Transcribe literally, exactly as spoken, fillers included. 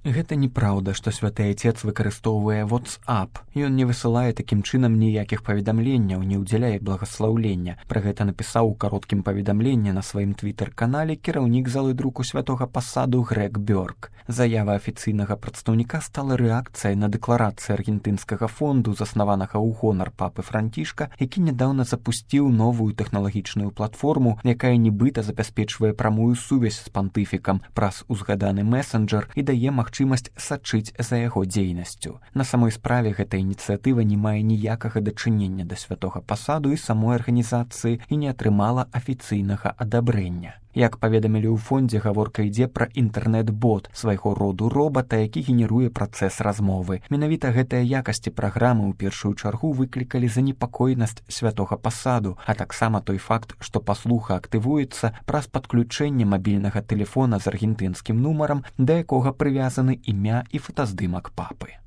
Гэта неправда, што святы айцец выкарыстоўвае WhatsApp. Ён не высылае такім чынам ніякіх паведамленняў, не ўдзяляе благаслаўлення. Пра гэта напісаў у кароткім паведамленні на сваім твітэр-канале кіраўнік залы друку святога пасаду Грег Бёрк. Заява афіцыйнага прадстаўніка стала рэакцыяй на дэкларацыю аргентынскага фонду, заснаванага ў гонар папы Францішка, які нядаўна запусціў новую тэхналагічную платформу, якая нібыта забяспечвае прамую сувязь з пантыфікам праз узгаданы месенджер і дае магчымасць сачыць за яго дзейнасцю. На самой справе гэта ініцыятыва не мае ніякага дачынення да святога пасаду і самой арганізацыі і не атрымала афіцыйнага адабрэння. Як паведамілі ў фондзе, гаворка ідзе пра інтэрнэт-бот, свайго роду робата, які генеруе працэс размовы. Менавіта гэтыя якасці праграмы ў першую чаргу выклікалі занепакоенасць святога пасаду, а таксама той факт, што паслуха актывуецца праз падключэнне мабільнага тэлефона з аргентынскім нумарам, да якога прывязаны імя і фотаздымак папы.